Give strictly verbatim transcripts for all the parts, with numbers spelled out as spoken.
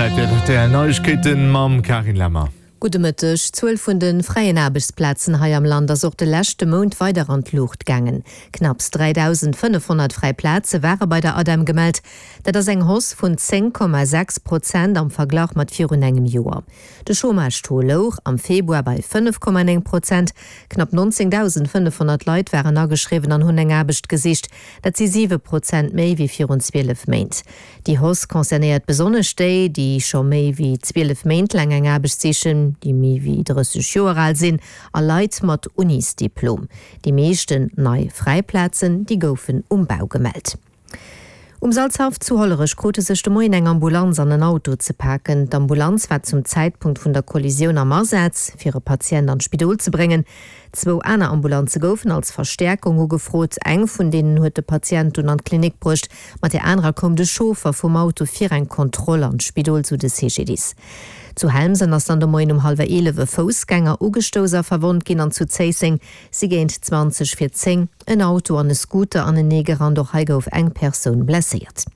Zäit fir d'RTL Neiegkeeten mam Carine Lemmer. Gudde Mëtteg. D'Zuel vun de fräien Aarbechtsplazen hei am Land ass och de leschte Mount weider an d'Luucht gaangen. Knapps dräidausendfënnefhonnert fräi Plaze ware bei der ADEM gemellt. Dat ass eng Hausse vun zéng Komma sechs Prozent am Verglach mat virun engem Joer. De Chômage-Taux louch am Februar bei fënnef Komma néng Prozent. Knapp nonzéngdausendfënnefhonnert Leit waren ageschriwwen an hunn eng Aarbecht gesicht. Dat si siwe Prozent méi wéi virun zwielef Méint. Déi Hausse concernéiert besonnesch déi, déi scho méi wéi zwielef Méint laang eng Aarbecht sichen, déi méi wéi drësseg Joer al sinn a Leit mat Unisdiplom. Déi meeschten nei fräi Plazen, déi goufen um Bau gemellt. Um Salzhaff zu Hollerech krute sech de Moien eng Ambulanz an en Auto ze paken. D'Ambulanz war zum Zäitpunkt vun der Kollisioun am Asaz, fir e Patient an d'Spidol ze bréngen. Zwou aner Ambulanze goufen als Verstäerkung ugefrot. Eng vun deenen huet de Patient dunn an d'Klinik bruecht, mat där anerer koum de Chauffer vum Auto fir eng Kontroll an d'Spidol, sou de C G D I S. Zu Helmsen ass dann de Moien um hallwer eelef e Foussgänger ugestouss a verwonnt ginn an zu Zéisseng si géint zwanzeg vir zéng en Auto an e Scooter aneneegerannt. Och hei gouf eng Persoun blesséiert.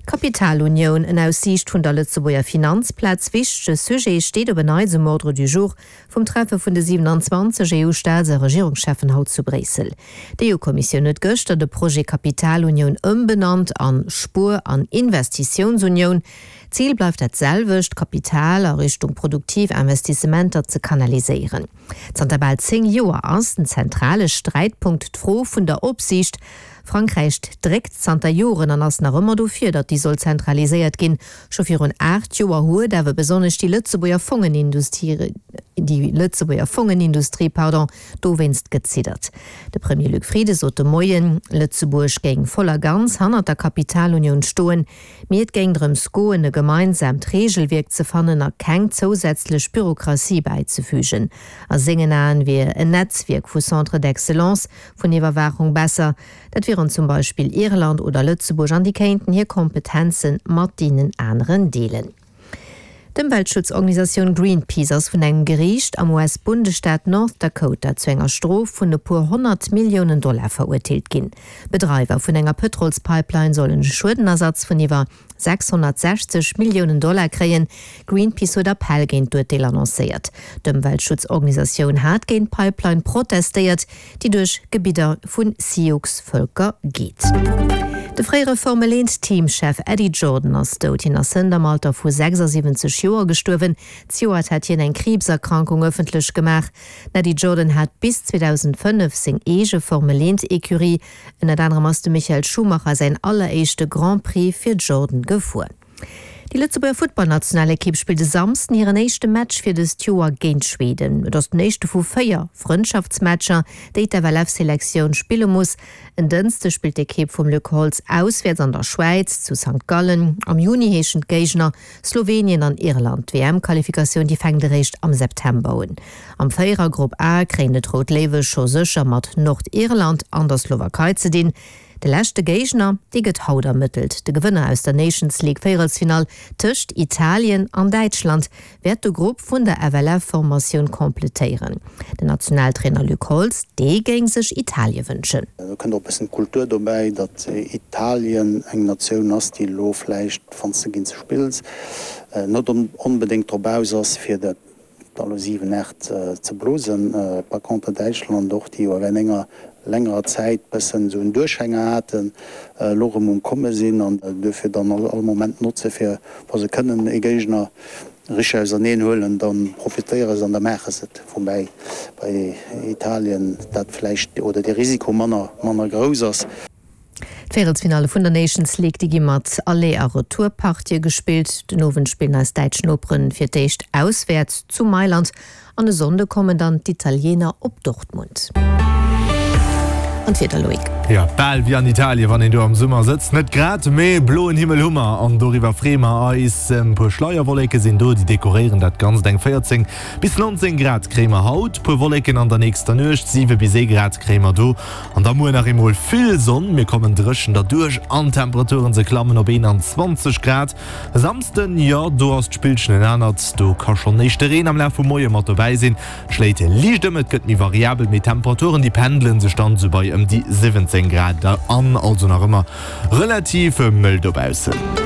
D'Kapitalunioun, en aus Siicht vun der Lëtzebuerger Finanzplaz wichtege Sujet, steet op en Neits um Ordre du jour vum Treffe vun de siewenanzwanzeg E U-Staats a Regierungscheffen haut zu Bréissel. D'E U-Kommissioun huet gëschter de Projet Kapitalunioun ëmbenannt an Spuer an Investitiounsunioun. D'Zil bleift dat selwecht, Kapital a Richtung produktiv Investissementer ze kanaliséieren. Zanter bal zéng Joer ass den zentrale Sträitpunkt d'Fro vun der Opsiicht. Frankräich dréckt zanter Joren an ass nach ëmmer dofir, datt déi soll zentraliséiert ginn. Scho virun aacht Joer huet awer besonnesch déi Lëtzebuerger Fongenindustrie, déi Lëtzebuerger Fongenindustrie, pardon, dowéinst geziddert. De Premier Luc Frieden sot de Moien, Lëtzebuerg géing voll a ganz hannert der Kapitalunioun stoen, mee et géing drëms goen, e gemeinsaamt Reegelwierk ze fannen a keng zousätzlech Bürokratie bäizefügen. A sengen Aen wier en Netzwierk vu Centres d'excellence vun Iwwerwaachung besser, dat wieren zum Beispill Irland oder Lëtzebuerg, an déi kéinten hir Kompetenze mat deenen aneren deelen. D'Ëmweltschutzorganisatioun Greenpeace ass vun engem Geriicht am U S-Bundesstaat North Dakota zu enger Strof vun e puer honnert Milliounen Dollar verurteelt ginn. Bedreiwer vun enger Pëtrolspipeline sollen e Schuedenersatz vun iwwer sechshonnertsechzeg Milliounen Dollar kréien. Greenpeace huet Appell géint d'Urteel annoncéiert. D'Ëmweltschutzorganisatioun hat géint d'Pipeline protestéiert, déi duerch Gebidder vu Sioux-Vëlker geet. De fréiere Formel eent Teamchef Eddie Jordan ass dout. Hien ass hënt am Alter vu sechsasiwwenzeg Joer gestuerwen. Zejoert hat hien eng Kriibserkrankung ëffentlech gemaach. Den Eddie Jordan hat bis zweedausendfënnef seng eege Formel eent Ecurie. Ënnert anerem ass de Michael Schumacher säin alleréischte Grand Prix fir Jordan gefuer. Déi Lëtzebuerger Futtballnationalekipp spillt e Samsden hiren éischte Match fir dëst Joer géint Schweden. Et ass den éischte vu véier Frëndschaftsmatcher, déi d'F L F-Selektioun spille muss. En Dënschdeg spillt d'Ekipp vum Luc Holtz auswäerts an der Schwäiz zu Sankt Gallen. Am Juni heeschen d'Géigner Slowenien an Irland. D'W M-Qualifikatioun, déi fänkt eréischt am September un. Am Véierergrupp A kréien et d'Rout Léiwe scho sécher mat Nordirland an der Slowakei ze dinn. De leschte Géigner, dee gëtt haut ermëttelt. De Gewënner aus der Nations League Véierelsfinall tëscht Italien an Däitschland wäert de Grupp vun der F L F-Formatioun kompletéieren. Den Nationaltrainer Luc Holtz, dee géing sech Italie wënschen. Do kënnt och e bëssen d'Kultur dobäi, datt Italien eng Natioun ass, déi elo vläicht, wann s de géint se spills, net onbedéngt drop aus ass, fir der da lo siwen, aacht ze blosen. Par contre Däitschland och, déi jo während enger längerer Zäit bëssen esou en Duerchhänger haten, elo erëm um Komme sinn an duerfir dann all Moment notze fir, wa se kënnen e Géigner richteg auserneen huelen, da profitéiere se an da maache se et. Woubäi bei Italien dat vläicht oder dee Risiko manner manner grouss ass. D'Véierelsfinalle vun der Nations League, déi gi mat Aller a Retourpartië gespillt. Den Owend spillen eis däitsch Noperen fir d'éischt auswäerts zu Mailand an e Sonnde kommen dann d'Italiener op Dortmund. An d'Wieder, Loïc. Jo, bal wéi an Italien, wann een do am Summer sëtzt. Net grad, mee bloen Himmel hu mer an doriwwer freeë mer eis. E puer Schleierwolleke sinn do, déi dekoréieren dat Ganzt. Eng véierzéng bis nonzéng Grad kréie mer haut, puer Wolleken an der nächster Nuecht, siwe bis ee Grad kréie mer do. An da muer nach eemol vill Sonn. Mir kommen dréchen derduerch an d'Temperaturen, se klammen op eenanzwanzeg Grad. E Samsden, jo, do ass d'Spillchen en anert. Do ka schonn éischte Reen am Laf vum Moie mat dobäi sinn. Et schléit liicht ëm, et gëtt méi variabel, mee d'Temperaturen, déi pendele sech dann esou bei ëm déi siwwenzéng Grad an, also nach ëmmer relativ mëll dobaussen.